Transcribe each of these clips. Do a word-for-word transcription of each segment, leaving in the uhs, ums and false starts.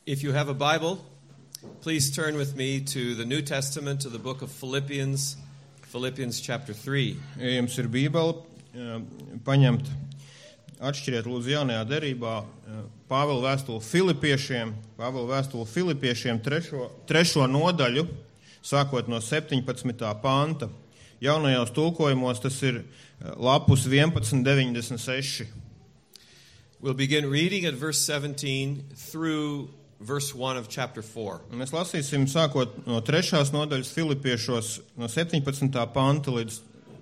If you have a Bible, please turn with me to the New Testament, to the book of Philippians, Philippians chapter three. Ja jums ir Bībele, paņemt, atšķiriet lūdzu jaunajā derībā Pāvila vēstuli Filipiešiem, Pāvila vēstuli Filipiešiem trešo, trešo nodaļu, sākot no septiņpadsmitā panta. Jaunajos tulkojumos tas ir lapus vienpadsmit deviņdesmit seši. We'll begin reading at verse seventeen through verse one of chapter four. Mēs lasīsim sākot no trešās nodaļas Filipiešos no septiņpadsmitā panta līdz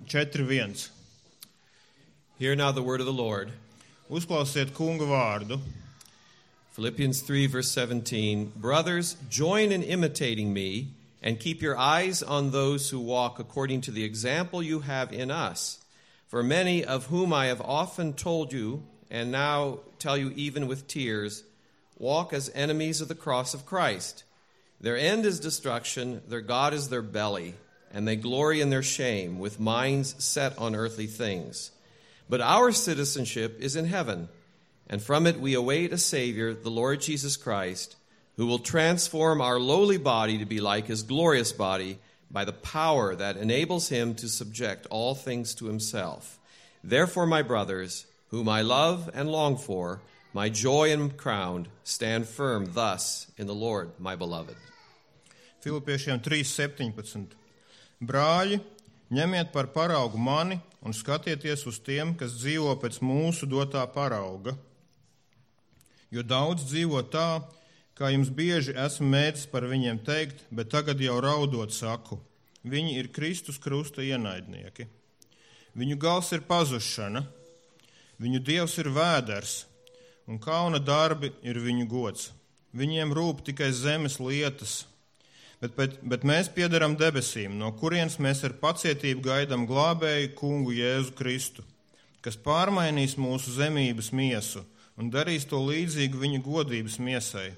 četri viens. Hear now the word of the Lord. Uzklausiet kunga vārdu. Philippians three verse seventeen. Brothers, join in imitating me and keep your eyes on those who walk according to the example you have in us. For many of whom I have often told you, and now tell you even with tears, walk as enemies of the cross of Christ. Their end is destruction, their God is their belly, and they glory in their shame, with minds set on earthly things. But our citizenship is in heaven, and from it we await a Savior, the Lord Jesus Christ, who will transform our lowly body to be like his glorious body by the power that enables him to subject all things to himself. Therefore, my brothers, whom I love and long for, my joy and crown, stand firm thus in the Lord, my beloved. Filipiešiem trīs septiņpadsmit. Brāļi, ņemiet par paraugu mani un skatieties uz tiem, kas dzīvo pēc mūsu dotā parauga. Jo daudz dzīvo tā, kā jums bieži esmu mēdzis par viņiem teikt, bet tagad jau raudot saku. Viņi ir Kristus krusta ienaidnieki. Viņu gals ir pazušana, viņu dievs ir vēders, un kauna darbi ir viņu gods. Viņiem rūp tikai zemes lietas, bet, bet, bet mēs piederam debesīm, no kurienes mēs ar pacietību gaidām glābēju kungu Jēzu Kristu, kas pārmainīs mūsu zemības miesu un darīs to līdzīgu viņa godības miesai,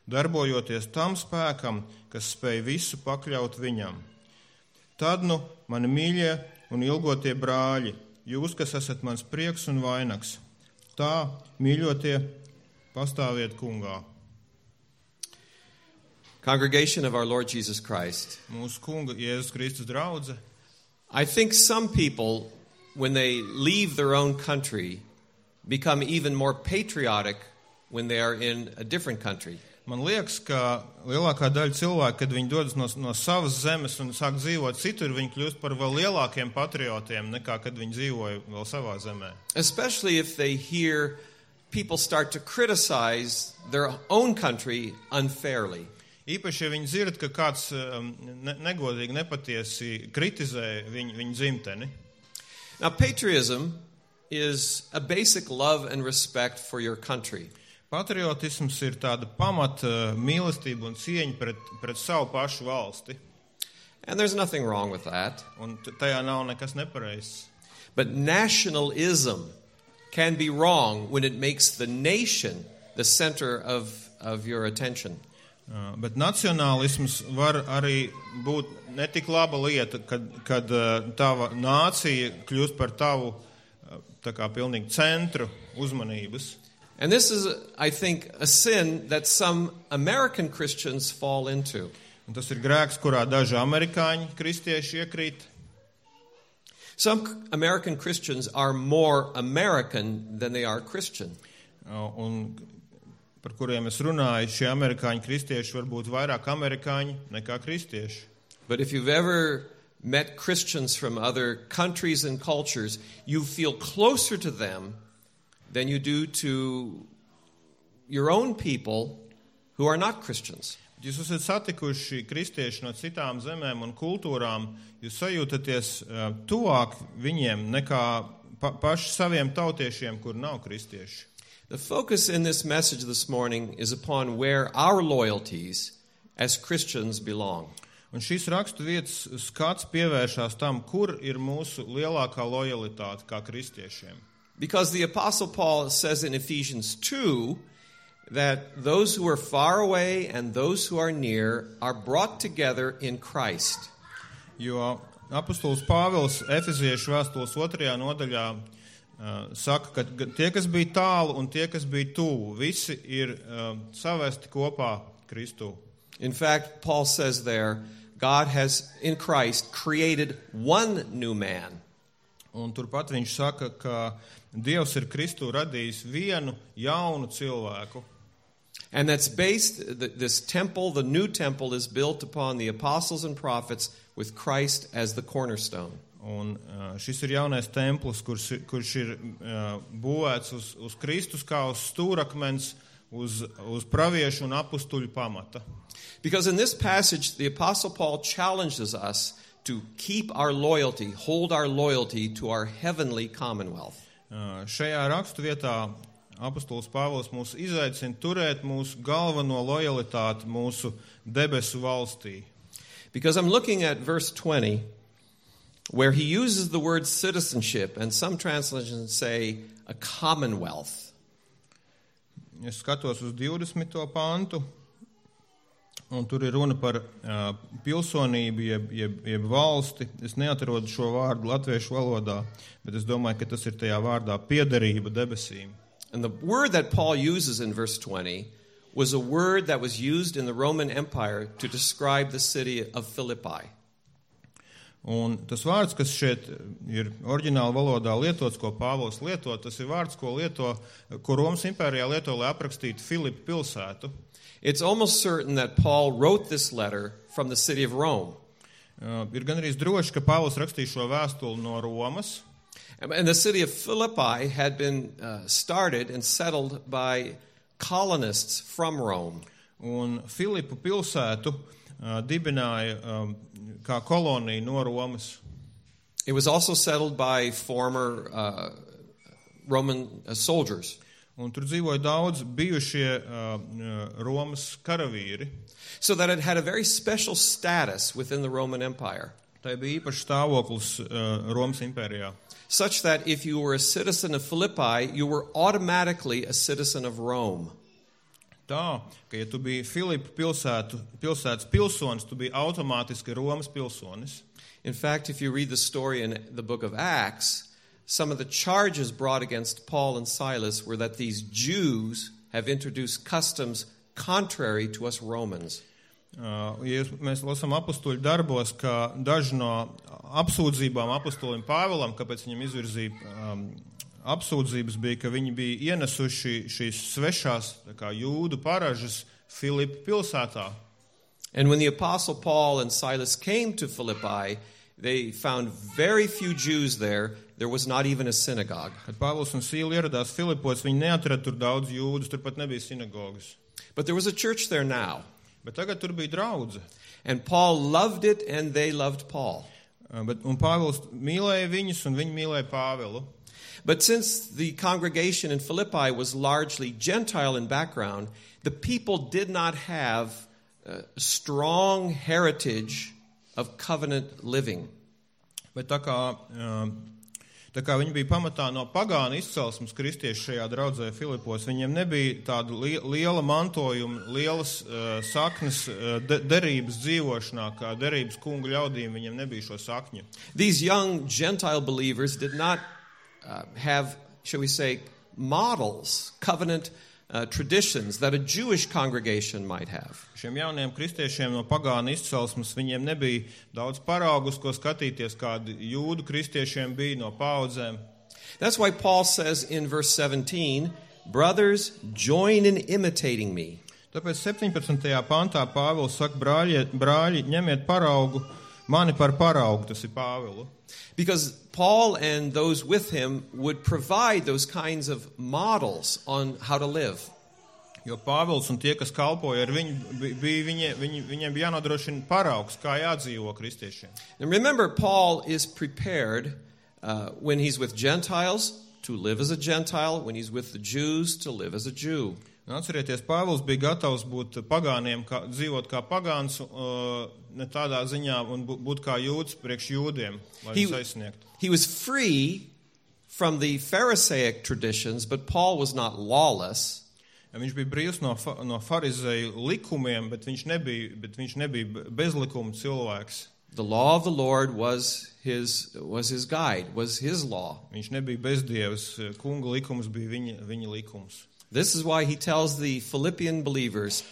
darbojoties tam spēkam, kas spēj visu pakļaut viņam. Tad nu, mani mīļie un ilgotie brāļi, jūs, kas esat mans prieks un vainags, tā, mīļotie, pastāviet kungā. Congregation of our Lord Jesus Christ. Mūsu kunga Jēzus Kristus draudze. I think some people, when they leave their own country, become even more patriotic when they are in a different country. Man liekas, ka lielākā daļa cilvēku, kad viņi dodas no, no savas zemes un sāk dzīvot citur, viņi kļūst par vēl lielākiem patriotiem nekā kad viņi dzīvoja vēl savā zemē. Especially if they hear people start to criticize their own country unfairly. Īpaši, ja viņi dzird, ka kāds ne, negodīgi, nepatiesi kritizē viņu, viņu dzimteni. Now, patriotism is a basic love and respect for your country. Patriotisms ir tāda pamata mīlestība un cieņa pret, pret savu pašu valsti. And there's nothing wrong with that. Un tajā nav nekas nepareizs. But nationalism can be wrong when it makes the nation the center of, of your attention. Uh, bet nacionālisms var arī būt netik laba lieta, kad, kad uh, tava nācija kļūst par tavu uh, tā kā pilnīgi centru uzmanības. And this is, I think, a sin that some American Christians fall into. Un tas ir grēks, kurā daži amerikāņi kristieši iekrīt. Some American Christians are more American than they are Christian. Uh, un par kuriem es runāju, šie amerikāņi kristieši var būt vairāk amerikāņi nekā kristieši. But if you've ever met Christians from other countries and cultures, you feel closer to them than you do to your own people who are not Christians. Jūs esat satikuši kristieši no citām zemēm un kultūrām, jūs sajūtaties uh, tuvāk viņiem nekā pa, paši saviem tautiešiem, kur nav kristieši. The focus in this message this morning is upon where our loyalties as Christians belong. Un šīs rakstu vietas skats pievēršās tam, kur ir mūsu lielākā lojalitāte kā kristiešiem. Because the Apostle Paul says in Ephesians two that those who are far away and those who are near are brought together in Christ. Jo apostols Pāvils Efeziešu vēstules otrajā nodaļā uh, saka, ka tie, kas bija tālu un tie, kas bija tuvu, visi ir uh, savesti kopā Kristū. In fact, Paul says there, God has, in Christ, created one new man. Un turpat viņš saka, ka Dievs ir Kristū radījis vienu jaunu cilvēku. And that's based, this temple, the new temple, is built upon the apostles and prophets with Christ as the cornerstone. Un uh, šis ir jaunais templis, kurš, kurš ir uh, būvēts uz, uz Kristus kā uz stūrakmens, uz, uz praviešu un apustuļu pamata. Because in this passage, the Apostle Paul challenges us to keep our loyalty, hold our loyalty to our heavenly commonwealth. Uh, šajā rakstu vietā apustulis Pāvils mūs izaicina turēt mūsu galveno lojalitāti mūsu debesu valstī. Because I'm looking at verse twenty, where he uses the word citizenship, and some translations say a commonwealth. Es skatos uz divdesmito pantu, un tur ir runa par uh, pilsonību, jeb, jeb, jeb valsti. Es neatrodu šo vārdu latviešu valodā, bet es domāju, ka tas ir tajā vārdā piederība debesīm. And the word that Paul uses in verse twenty was a word that was used in the Roman Empire to describe the city of Philippi. Un tas vārds, kas šeit ir oriģināla valodā lietots, ko Pāvils lieto, tas ir vārds, ko lieto, ko Romas impērijā lieto, lai aprakstītu Filipu pilsētu. It's almost certain that Paul wrote this letter from the city of Rome. Uh, ir gan arī droši, ka Pāvils rakstīja šo vēstuli no Romas. And the city of Philippi had been uh, started and settled by colonists from Rome. Un Filipu pilsētu uh, dibināja um, kā koloniju no Romas. It was also settled by former uh, Roman uh, soldiers. Un tur dzīvoja daudz bijušie uh, Romas karavīri. So that it had a very special status within the Roman Empire. Tai bija īpašs stāvoklis uh, Romas impērijā. Such that if you were a citizen of Philippi, you were automatically a citizen of Rome. Tā, ka ja tu biji Filipu pilsētu, pilsētas pilsonis, tu biji automātiski Romas pilsonis. In fact, if you read the story in the book of Acts, some of the charges brought against Paul and Silas were that these Jews have introduced customs contrary to us Romans. Uh, ja mēs lasām apustuļu darbos, ka daži no apsūdzībām apustulim Pāvilam, kāpēc viņam izvirzīja um, apsūdzības, bija, ka viņi bija ienesuši šīs svešās tā kā jūdu paražas Filipu pilsētā. And when the apostle Paul and Silas came to Philippi, they found very few Jews there. There was not even a synagogue. Kad Pāvils un Sīla ieradās Filipos, viņi neatrada tur daudz jūdus, tur pat nebija sinagogas. But there was a church there now. Bet tagad tur bija draudze. And Paul loved it and they loved Paul. Uh, bet, un Pāvils mīlēja viņus un viņi mīlēja Pāvilu. But since the congregation in Philippi was largely Gentile in background, the people did not have a strong heritage of covenant living. Bet tā kā, tā kā viņi bija pamatā no pagānu izcelsmes kristieši šajā draudzē Filipos, viņiem nebija tāda liela mantojuma, lielas uh, saknes uh, de, derības dzīvošanā, kā derības kungu ļaudīm, viņiem nebija šo sakņu. These young Gentile believers did not uh, have, shall we say, models, covenant uh, traditions that a Jewish congregation might have. Šiem jauniem kristiešiem no pagānu izcelsmes viņiem nebija daudz paraugus, ko skatīties, kādi jūdu kristiešiem bija no paudzēm. That's why Paul says in verse seventeen, brothers, join in imitating me. Tāpēc septiņpadsmitajā pantā Pāvils saka, brāļi, brāļi, ņemiet paraugu, mani par paraugu, tas ir Pāvilu. Because Paul and those with him would provide those kinds of models on how to live. Jo Pāvils un tie, kas kalpoja ar viņu, bija, viņi, viņi, viņiem bija jānodrošina paraugs, kā jādzīvo kristiešiem. And remember, Paul is prepared uh, when he's with Gentiles to live as a Gentile, when he's with the Jews to live as a Jew. Un atcerieties, Pāvils bija gatavs būt pagāniem, kā, dzīvot kā pagāns, uh, ne tādā ziņā, un būt kā jūds priekš jūdiem, lai He, viņus aizsniegtu. he was free from the Pharisaic traditions, but Paul was not lawless. Viņš bija brīvs no, no farizēju likumiem, bet viņš nebija, bet viņš nebija bezlikuma cilvēks. The law of the Lord was his, was his guide, was his law. Viņš nebija bezdievs, kunga likums bija viņa, viņa likums. This is why he tells the Philippian believers,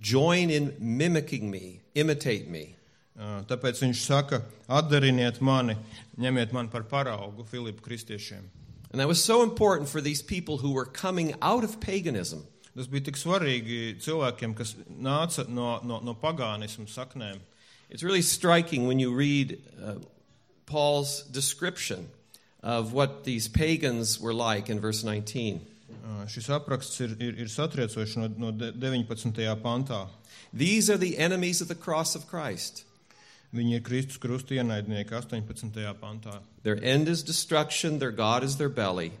join in mimicking me, imitate me. Tāpēc viņš saka, atdariniet mani, ņemiet mani par paraugu Filipu kristiešiem. And that was so important for these people who were coming out of paganism. Tas bija tik svarīgi cilvēkiem, kas nāca no, no, no pagānismu saknēm. It's really striking when you read uh, Paul's description of what these pagans were like in verse nineteen. Uh, šis apraksts ir, ir, ir satriecošs no, no deviņpadsmitajā pantā. These are the enemies of the cross of Christ. Viņi ir Kristus krusta ienaidnieki astoņpadsmitajā pantā. Their end is destruction, their God is their belly.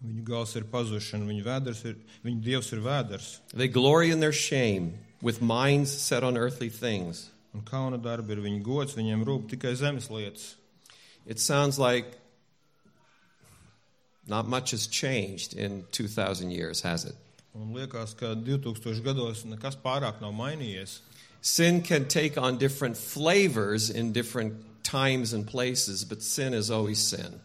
Viņu gals ir pazušana, viņu vēders ir, viņu dievs ir vēders. They glory in their shame, with minds set on earthly things. Un kauna darbi ir viņu gods, viņiem rūp tikai zemes lietas. It sounds like not much has changed in two thousand years, has it? Un liekas, ka divtūkstošu gados nekas pārāk nav mainījies. Sin can take on different flavors in different times and places, but sin is always sin.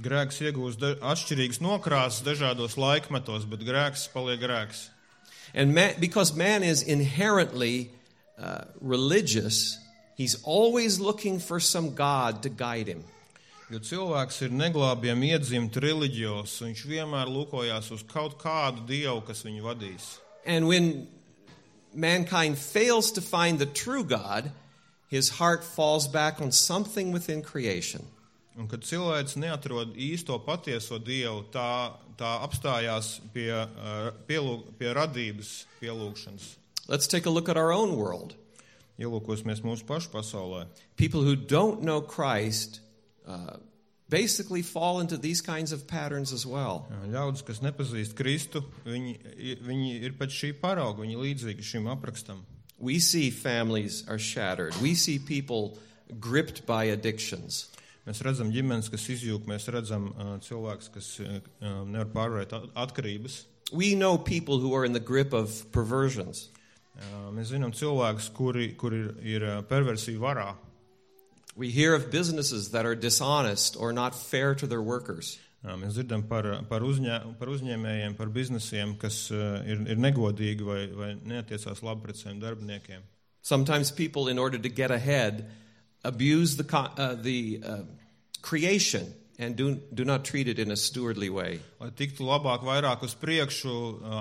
Grēks iegūst da- atšķirīgas nokrāsas dažādos laikmetos, bet grēks paliek grēks. And man, because man is inherently uh, religious, he's always looking for some God to guide him. Jo cilvēks ir neglābjami iedzimt reliģijos, un viņš vienmēr lūkojās uz kaut kādu dievu, kas viņu vadīs. And when mankind fails to find the true God, his heart falls back on something within creation. Un kad cilvēks neatrod īsto patieso dievu, tā, tā apstājās pie, uh, pielūg, pie radības pielūgšanas. Let's take a look at our own world. Ielūkosimies mūsu pašu pasaulē. People who don't know Christ uh, basically fall into these kinds of patterns as well. Ļaudis, kas nepazīst Kristu, viņi, viņi ir pēc šī parauga, viņi līdzīgi šim aprakstam. We see families are shattered. We see people gripped by addictions. Mēs redzam ģimenes, kas izjūg, mēs redzam uh, cilvēkus, kas uh, nevar pārvarēt atkarības. We know people who are in the grip of perversions. Uh, mēs zinām cilvēkus, kuri, kuri ir, ir perversiju varā. We hear of businesses that are dishonest or not fair to their workers. Uh, mēs dzirdam par, par, uzņē, par uzņēmējiem, par biznesiem, kas uh, ir, ir negodīgi vai, vai neatiecās labi pret saviem darbiniekiem. Sometimes people, in order to get ahead, abuse the uh, the uh, creation and do do not treat it in a stewardly way. Lai tiktu labāk, vairāk uz priekšu,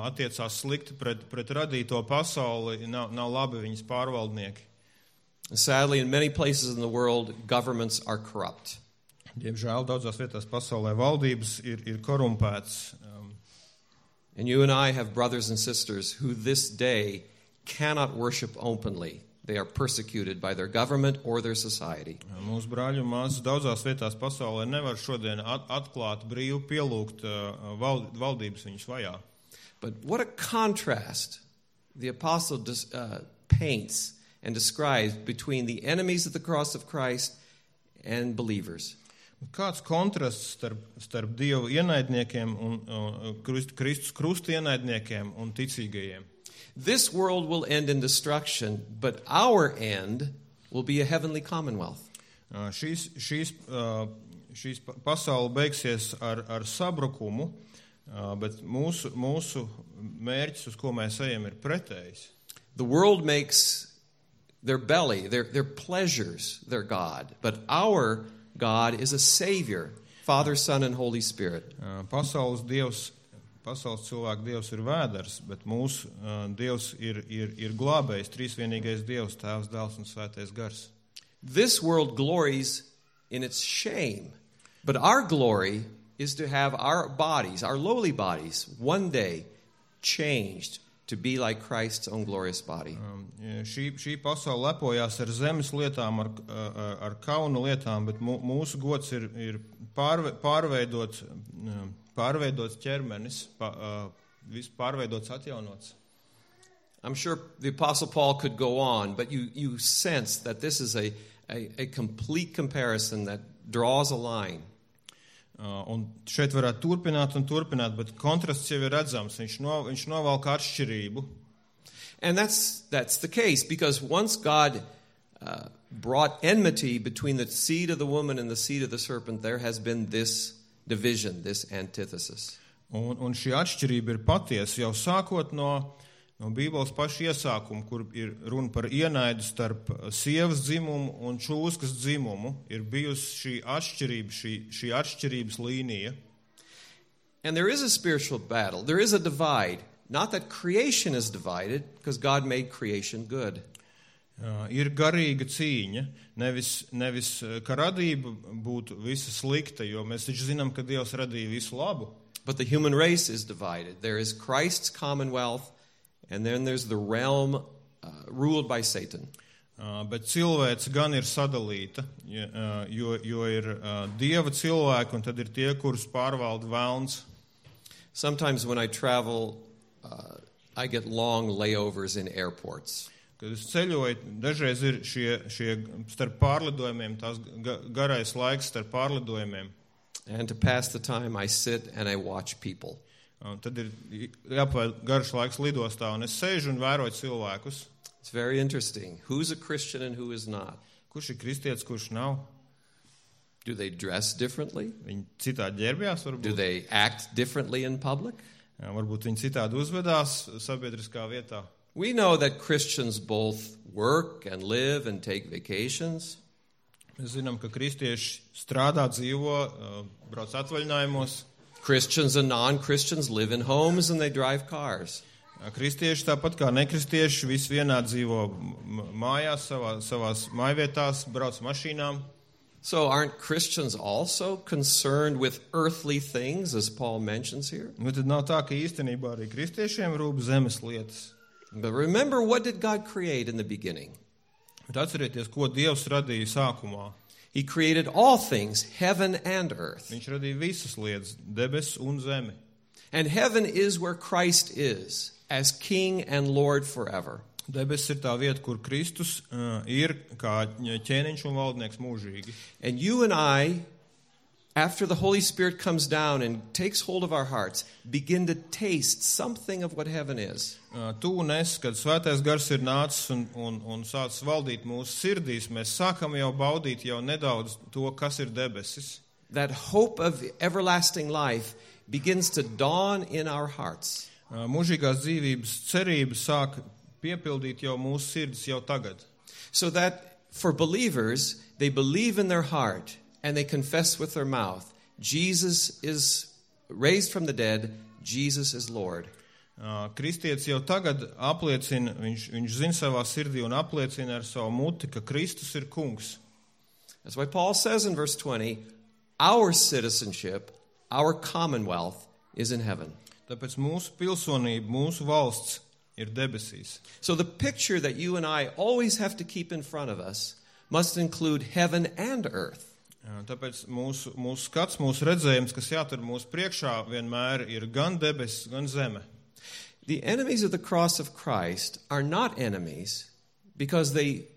attiecās slikti pret, pret radīto pasauli, nav, nav labi viņas pārvaldnieki. Sadly, in many places in the world, governments are corrupt. Diemžēl daudzās vietās pasaulē valdības ir, ir korumpētas. Um, and you and I have brothers and sisters who this day cannot worship openly. They are persecuted by their government or their society. Mūsu brāļi un māsas daudzās vietās pasaulē nevar šodien at, atklāt brīvi pielūgt uh, vald, valdības viņus vajā. But what a contrast the apostle dis, uh, paints and describes between the enemies of the cross of Christ and believers. Kāds kontrasts starp, starp Dievu ienaidniekiem un uh, Kristus krusta ienaidniekiem un ticīgajiem. This world will end in destruction, but our end will be a heavenly commonwealth. Uh, šīs, šīs, uh, šīs pasaule beigsies ar, ar sabrukumu, uh, bet mūsu, mūsu mērķis, uz ko mēs ejam, ir pretējs. The world makes their belly, their, their pleasures, their God, but our God is a Savior, Father, Son, and Holy Spirit. Uh, pasaules Dievs Pasaules cilvēku Dievs ir vēders, bet mūsu uh, Dievs ir, ir, ir glābējs, trīsvienīgais Dievs, Tēvs, Dēls un Svētais Gars. This world glories in its shame, but our glory is to have our bodies, our lowly bodies, one day changed to be like Christ's own glorious body. Um, šī, šī pasaule lepojās ar zemes lietām, ar, ar, ar kaunu lietām, bet mūsu gods ir, ir pārve, pārveidot um, pārveidots ķermenis, viss pārveidots, atjaunots. I'm sure the Apostle Paul could go on, but you, you sense that this is a, a, a complete comparison that draws a line. Uh, un šeit varētu turpināt un turpināt, bet kontrasts jau ir redzams. Viņš, no, viņš novalk atšķirību. And that's, that's the case, because once God uh, brought enmity between the seed of the woman and the seed of the serpent, there has been this division, this antithesis. Un, un šī atšķirība ir patiesa jau sākot no, no Bībeles paša iesākuma, kur ir runa par ienaidu starp sievas dzimumu un čūskas dzimumu. Ir bijusi šī atšķirība, šī, šī atšķirības līnija. And there is a spiritual battle. There is a divide. Not that creation is divided, because God made creation good. Uh, ir garīga cīņa, nevis, nevis ka radība būtu visa slikta, jo mēs taču zinām, ka Dievs radīja visu labu. But the human race is divided. There is Christ's commonwealth, and then there's the realm uh, ruled by Satan. Uh, bet cilvēce gan ir sadalīta, jo, uh, jo, jo ir uh, Dieva cilvēki, un tad ir tie, kurus pārvalda velns. Sometimes when I travel, uh, I get long layovers in airports. Kad es ceļoju, dažreiz ir šie, šie starp pārlidojumiem, tās garais laiks starp pārlidojumiem. And to pass the time, I sit and I watch people. Un tad ir jāpavada garš laiks lidostā, un es sēžu un vēroju cilvēkus. It's very interesting. Who's a Christian and who is not? Kurš ir kristietis, kurš nav? Do they dress differently? Viņi citādi ģērbjās, varbūt. Do they act differently in public? Jā, varbūt viņi citādi uzvedās sabiedriskā vietā. We know that Christians both work and live and take vacations. Mēs zinām, ka kristieši strādā, dzīvo, brauc atvaļinājumos. Christians and non-Christians live in homes and they drive cars. Kristieši tāpat kā nekristieši visi vienā dzīvo mājās, savā, savās mājvietās, brauc mašīnām. So aren't Christians also concerned with earthly things, as Paul mentions here? Nu, tad nav tā, ka īstenībā arī kristiešiem rūp zemes lietas. But remember, what did God create in the beginning? Bet atcerieties, ko Dievs radīja sākumā. He created all things, heaven and earth. Viņš radīja visas lietas, debesis un zemi. And heaven is where Christ is, as King and Lord forever. Debesis ir tā vieta, kur Kristus uh, ir kā ķēniņš un valdnieks mūžīgi. And you and I, after the Holy Spirit comes down and takes hold of our hearts, begin to taste something of what heaven is. Uh, tu un es, kad svētais gars ir nācis un, un, un sācis valdīt mūsu sirdīs, mēs sākam jau baudīt jau nedaudz to, kas ir debesis. That hope of everlasting life begins to dawn in our hearts. Uh, mūžīgās dzīvības cerība sāk piepildīt jau mūsu sirdis jau tagad. So that for believers, they believe in their heart and they confess with their mouth, Jesus is raised from the dead, Jesus is Lord. Uh, kristietis jau tagad apliecina, viņš, viņš zina savā sirdī un apliecina ar savu muti, ka Kristus ir kungs. That's why Paul says in verse twenty, our citizenship, our commonwealth is in heaven. Tāpēc mūsu pilsonība, mūsu valsts ir debesīs. So the picture that you and I always have to keep in front of us must include heaven and earth. Jā, tāpēc mūsu, mūsu skats, mūsu redzējums, kas jātur mūsu priekšā, vienmēr ir gan debesis, gan zeme. The enemies of the cross of Christ are not enemies because they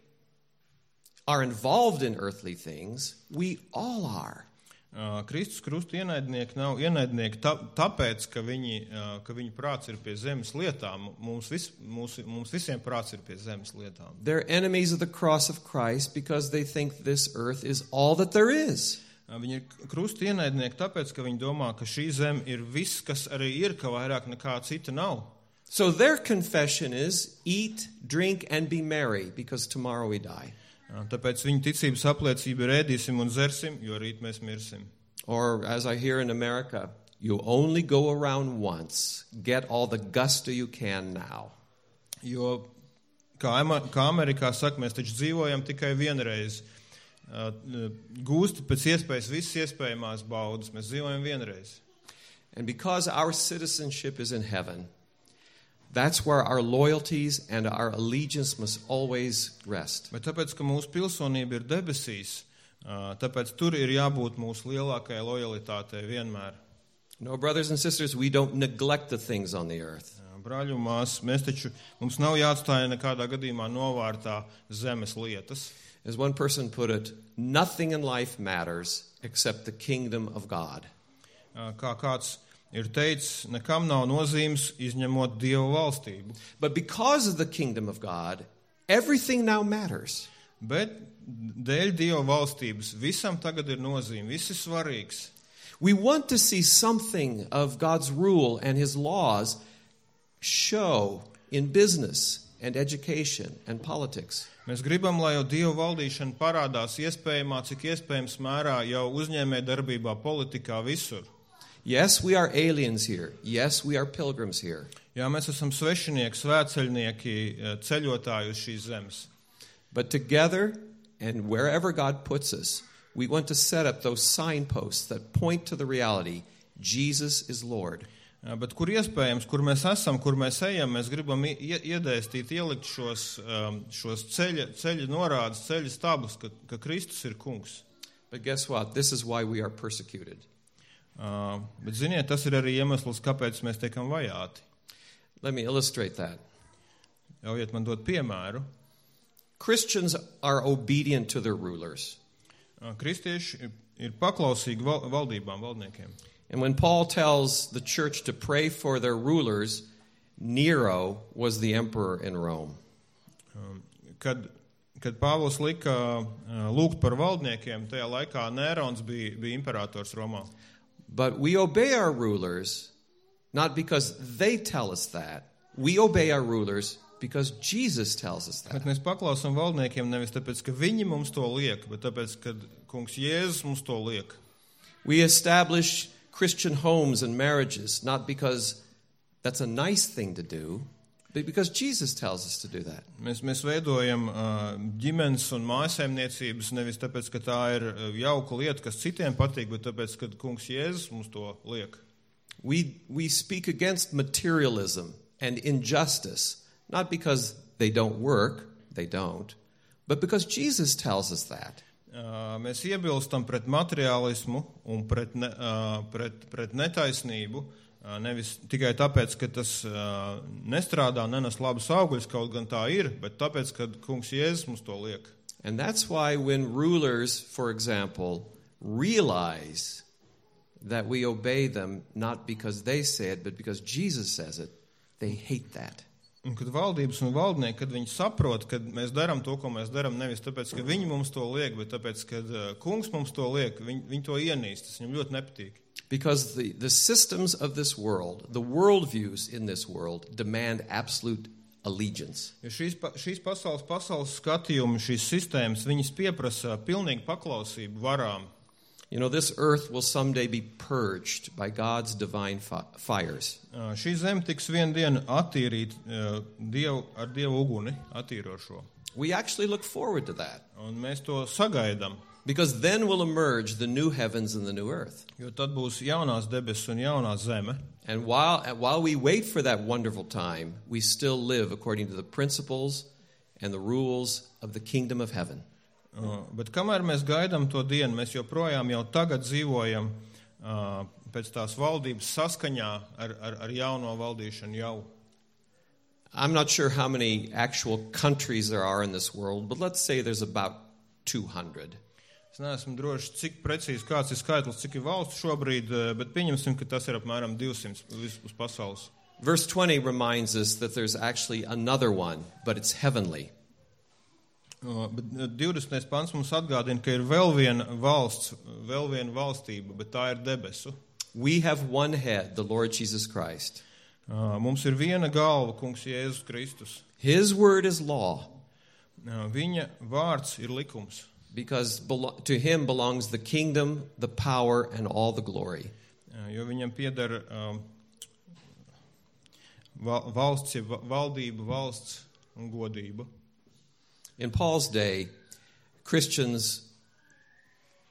are involved in earthly things. We all are. Uh, Kristus krusta ienaidnieki nav ienaidnieki tā, tāpēc, ka viņi, uh, ka viņu prāts ir pie zemes lietām. Mums, vis, mums, mums visiem prāts ir pie zemes lietām. They're enemies of the cross of Christ because they think this earth is all that there is. Uh, viņi ir krusta ienaidnieki tāpēc, ka viņi domā, ka šī zeme ir viss, kas arī ir, ka vairāk nekā cita nav. So their confession is eat, drink, and be merry because tomorrow we die. Tāpēc viņa ticības apliecība ir ēdīsim un zersim, jo rīt mēs mirsim. Or, as I hear in America, you only go around once. Get all the gusto you can now. Jo, kā, kā Amerikā saka, mēs taču dzīvojam tikai vienreiz. Gūst pēc iespējas visas iespējamās baudas. Mēs dzīvojam vienreiz. And because our citizenship is in heaven, that's where our loyalties and our allegiance must always rest. Bet tāpēc, ka mūsu pilsonība ir debesīs, tāpēc tur ir jābūt mūsu lielākajai lojalitātei vienmēr. No, brothers and sisters, we don't neglect the things on the earth. Brāļu un māsas, mēs taču, mums nav jāatstāja nekādā gadījumā novārtā zemes lietas. As one person put it, nothing in life matters except the kingdom of God. Kā kāds ir teicis, nekam nav nozīmes izņemot Dieva valstību. But because of the kingdom of God, everything now matters. Bet dēļ Dieva valstības visam tagad ir nozīme, viss ir svarīgs. We want to see something of God's rule and his laws show in business and education and politics. Mēs gribam, lai jau Dieva valdīšana parādās iespējamā, cik iespējams mērā jau uzņēmē darbībā, politikā, visur. Yes, we are aliens here. Yes, we are pilgrims here. Jā, mēs esam svešinieki, svētceļnieki, ceļotāji uz šīs zemes. But together and wherever God puts us, we want to set up those signposts that point to the reality, Jesus is Lord. Jā, bet kur iespējams, kur mēs esam, kur mēs ejam, mēs gribam iedēstīt, ielikt šos, šos ceļa, ceļa norādes, ceļa stabus, ka, ka Kristus ir kungs. But guess what? This is why we are persecuted. Uh, bet ziniet, tas ir arī iemesls, kāpēc mēs tiekam vajāti. Let me illustrate that. Ļaujiet man dot piemēru. Christians are obedient to their rulers. Uh, kristieši ir paklausīgi val, valdībām, valdniekiem. And when Paul tells the church to pray for their rulers, Nero was the emperor in Rome. Um, kad, kad Pāvils lika uh, lūgt par valdniekiem, tajā laikā Nērons bija, bija imperators Romā. But we obey our rulers not because they tell us that. We obey our rulers because Jesus tells us that. Bet mēs paklausām valdniekiem nevis tāpēc, ka viņi mums to liek, bet tāpēc, ka kungs Jēzus mums to liek. We establish Christian homes and marriages not because that's a nice thing to do, but because Jesus tells us to do that. Mēs, mēs veidojam uh, ģimenes un mājsaimniecības nevis tāpēc, ka tā ir jauka lieta, kas citiem patīk, bet tāpēc, ka kungs Jēzus mums to liek. We, we speak against materialism and injustice, not because they don't work, they don't, but because Jesus tells us that. Uh, mēs iebilstam pret materiālismu un pret, ne, uh, pret, pret netaisnību, uh, nevis tikai tāpēc, ka tas uh, nestrādā, nenes labus augļus, kaut gan tā ir, bet tāpēc, ka kungs Jēzus mums to liek. And that's why when rulers, for example, realize that we obey them not because they say it, but because Jesus says it, they hate that. Un kad valdības un valdnieki, kad viņi saprot, kad mēs darām to, ko mēs darām, nevis tāpēc, ka viņi mums to liek, bet tāpēc, ka kungs mums to liek, viņi, viņi to ienīst, tas viņam ļoti nepatīk. Because the, the systems of this world, the worldviews in this world, demand absolute allegiance. Jo šīs, šīs pasaules, pasaules skatījumi, šīs sistēmas, viņas pieprasa pilnīgu paklausību varām. You know, this earth will someday be purged by God's divine fi- fires. Uh, šī zeme tiks vienu dienu attīrīt uh, dievu, ar Dievu uguni, attīrošo. We actually look forward to that. Un mēs to sagaidām. Because then will emerge the new heavens and the new earth. Jo tad būs jaunās debesis un jaunā zeme. And while, while we wait for that wonderful time, we still live according to the principles and the rules of the kingdom of heaven. Uh, bet kamēr mēs gaidām to dienu, mēs joprojām jau tagad dzīvojam uh, pēc tās valdības saskaņā ar, ar, ar jauno valdīšanu jau. I'm not sure how many actual countries there are in this world, but let's say there's about two hundred. Es neesmu droši, cik precīzi kāds ir skaitlis, cik ir valsts šobrīd, bet pieņemsim, ka tas ir apmēram divsimt uz pasaules. Verse twenty reminds us that there's actually another one, but it's heavenly. Uh, bet divdesmitais pants mums atgādina, ka ir vēl viena valsts, vēl viena valstība, bet tā ir debesu. We have one head, the Lord Jesus Christ. Uh, mums ir viena galva, kungs Jēzus Kristus. His word is law. Uh, viņa vārds ir likums. Because to him belongs the kingdom, the power, and all the glory. Uh, jo viņam pieder um, valsts, valdība, valsts un godība. In Paul's day, Christians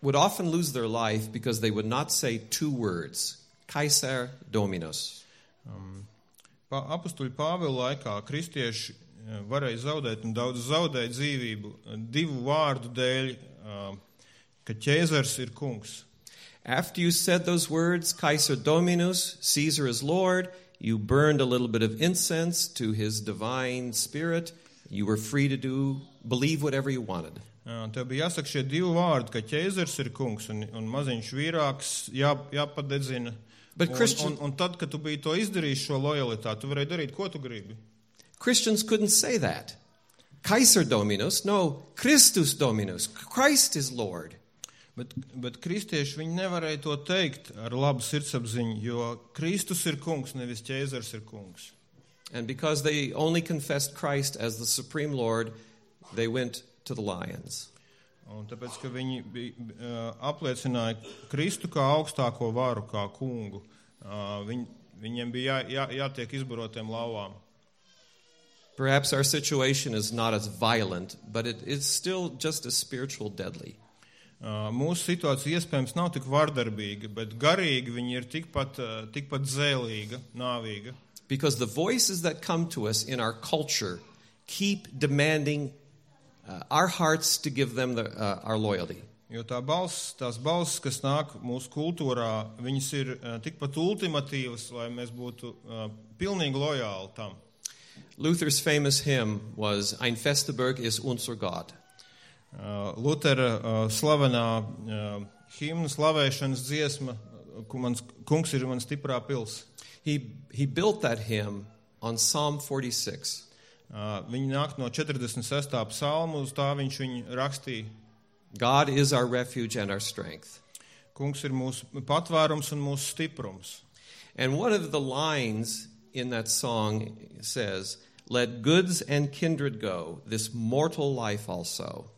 would often lose their life because they would not say two words, Kaiser Dominus. Um, Apostuļu Pāvila laikā kristieši varēja zaudēt un daudz zaudēt dzīvību divu vārdu dēļ, ka ķēzars ir kungs. After you said those words, Kaiser Dominus, Caesar is Lord, you burned a little bit of incense to his divine spirit. You were free to do, believe whatever you wanted. Tev bija jāsaka šie divi vārdi, ka ķēzars ir kungs un, un maziņš vīrāks jā, jāpadedzina. Un, Christian... un, un tad, kad tu biji to izdarījis šo lojalitāti, tu varēji darīt, ko tu gribi. Christians couldn't say that. Kaiser Dominus, no, Christus Dominus. Christ is Lord. Bet, bet kristieši viņi nevarēja to teikt ar labu sirdsapziņu, jo Kristus ir kungs, nevis ķēzars ir kungs. And because they only confessed Christ as the supreme Lord, they went to the lions. Un tāpēc, ka viņi bija, uh, apliecināja Kristu kā augstāko varu, kā kungu, uh, viņ, viņiem bija jā, jā, jātiek izbarotiem lauvām. Perhaps our situation is not as violent, but it is still just as spiritual deadly. Uh, mūsu situācija iespējams nav tik vardarbīga, bet garīgi viņi ir tikpat, uh, tikpat zēlīga, nāvīga. Because the voices that come to us in our culture keep demanding uh, our hearts to give them the, uh, our loyalty. Jo tā balss, tās balss, kas nāk mūsu kultūrā, viņas ir uh, tikpat ultimatīvas, lai mēs būtu uh, pilnīgi lojāli tam. Luther's famous hymn was Ein fester Burg ist unser Gott. Uh, Lutera uh, slavenā uh, himna slavēšanas dziesma, ku mans kungs ir man stiprā pils. He, he built that hymn on Psalm forty-six. Uh, viņi nāk no četrdesmit sestā psalmu, uz tā viņš viņu rakstīja. God is our refuge and our strength. Kungs ir mūsu patvērums un mūsu stiprums. And one of the lines in that song says, let goods and kindred go, this mortal life also.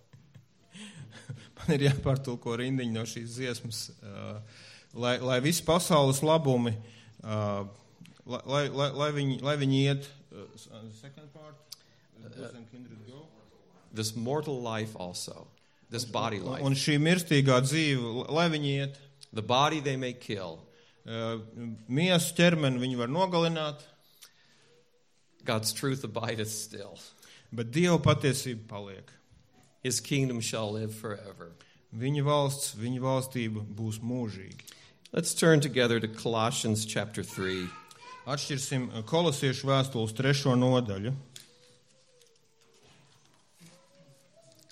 Man ir jāpārtulko rindiņa no šīs dziesmas, uh, lai, lai visi pasaules labumi, uh, lai, lai, lai, viņi, lai viņi iet, uh, second part, goods and kindred go. This mortal life also, this body life. Un šī mirstīgā dzīve, lai viņi iet. The body they may kill. Uh, miesu ķermeni viņi var nogalināt. God's truth abideth still. Bet Dieva patiesība paliek. His kingdom shall live forever. Viņa valsts, viņa valstība būs mūžīgi. Let's turn together to Colossians chapter three. Atšķirsim Kolosiešu vēstules trešo nodaļu.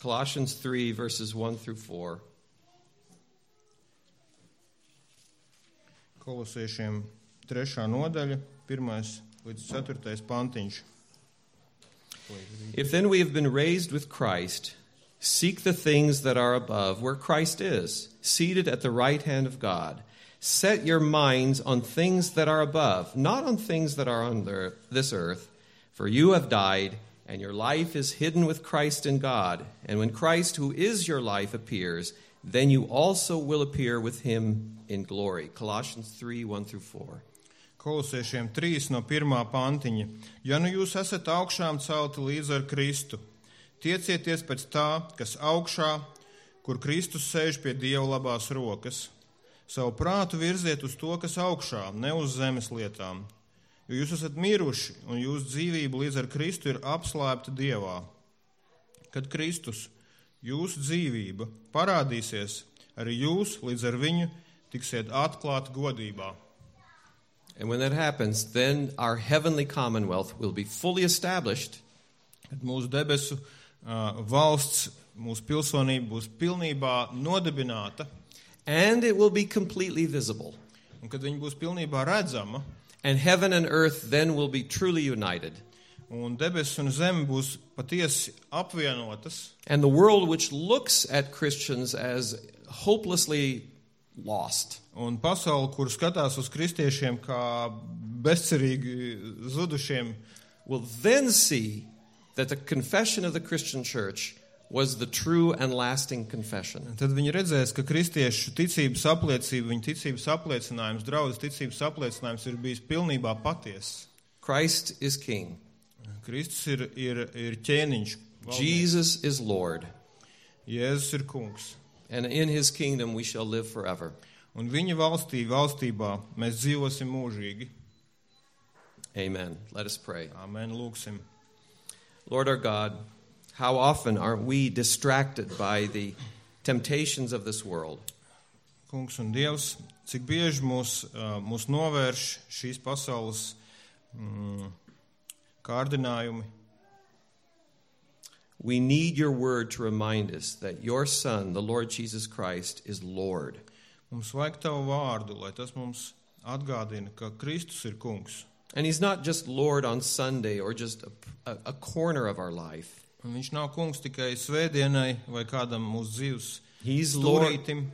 Colossians three, verses one through four. Kolosiešiem trešā nodaļa, pirmais līdz ceturtais pantiņš. If then we have been raised with Christ, seek the things that are above, where Christ is, seated at the right hand of God. Set your minds on things that are above, not on things that are on this earth, for you have died, and your life is hidden with Christ in God. And when Christ, who is your life, appears, then you also will appear with him in glory. Colossians three, one through four. Kolosiešiem trīs no pirmā pantiņa. Ja nu jūs esat augšām celti līdz ar Kristu, tiecieties pēc tā, kas augšā, kur Kristus sēž pie Dieva labās rokas. Savu prātu virziet uz to, kas augšā, ne uz zemes lietām. Jo jūs esat miruši, un jūsu dzīvība līdz ar Kristu ir apslēpta Dievā. Kad Kristus, jūsu dzīvība, parādīsies, arī jūs līdz ar viņu tiksiet atklāti godībā. And when that happens, then our heavenly commonwealth will be fully established. Kad mūsu debesu uh, valsts, mūsu pilsonība būs pilnībā nodibināta. And it will be completely visible. Un kad viņa būs pilnībā redzama. And heaven and earth then will be truly united. Un debesis un zeme būs patiesi apvienotas. And the world which looks at Christians as hopelessly lost. Un pasauli, kur skatās uz kristiešiem kā bezcerīgi zudušiem, will then see that the confession of the Christian church was the true and lasting confession. Tad viņi redzēs, ka kristiešu ticības apliecība, viņa ticības apliecinājums, draudzes ticības apliecinājums ir bijis pilnībā patiess. Christ is king. Kristus ir, ir, ir ķēniņš. Valdnieks. Jesus is Lord. Jēzus ir kungs. And in his kingdom we shall live forever. Un viņa valstī, valstībā mēs dzīvosim mūžīgi. Amen. Let us pray. Amen. Lūksim. Lord our God, how often are we distracted by the temptations of this world? Kungs un Dievs, cik bieži mūs, mūs novērš šīs pasaules mm, kārdinājumi. We need your word to remind us that your Son, the Lord Jesus Christ, is Lord. Mums vajag tavu vārdu, lai tas mums atgādina, ka Kristus ir kungs. And he's not just Lord on Sunday or just a, a, a corner of our life. Un viņš nav kungs tikai svētdienai vai kādam mūsu dzīves He's Lord, stūrītim,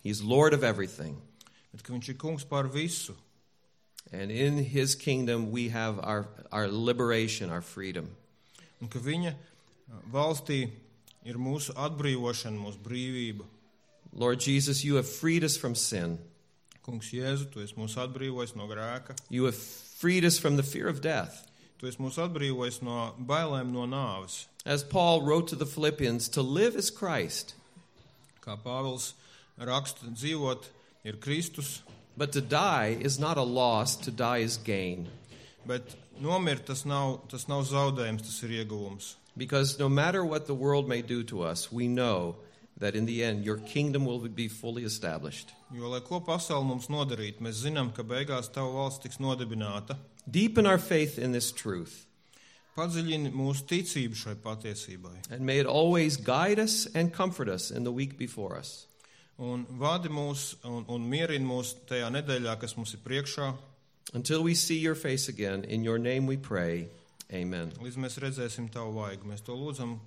he's Lord of everything. bet ka viņš ir kungs pār visu. And in his kingdom we have our, our liberation, our freedom. Un ka viņa valstī ir mūsu atbrīvošana, mūsu brīvība. Lord Jesus, you have freed us from sin. Kungs Jēzu, tu esi mūs atbrīvojis no grēka. You have freed us from the fear of death. Tu esi mūs atbrīvojis no bailēm no nāves. As Paul wrote to the Philippians, to live is Christ, Kā Pāvils raksta, dzīvot ir Kristus, but to die is not a loss, to die is gain. bet nomirt tas nav, tas nav zaudējums, tas ir ieguvums. Because no matter what the world may do to us, we know that in the end your kingdom will be fully established. Jo, lai ko pasauli mums nodarīt, mēs zinām, ka beigās tava valsts tiks nodibināta. Deepen our faith in this truth, Padziļini mūsu ticību šai patiesībai. and may it always guide us and comfort us in the week before us. Un vadi mūs un, un mierini mūs tajā nedēļā, kas mums ir priekšā, Until we see your face again, in your name we pray. Amen. līdz mēs redzēsim tavu vaigu. Mēs to lūdzam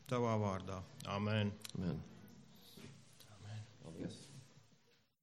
tavā vārdā. Amen. Amen.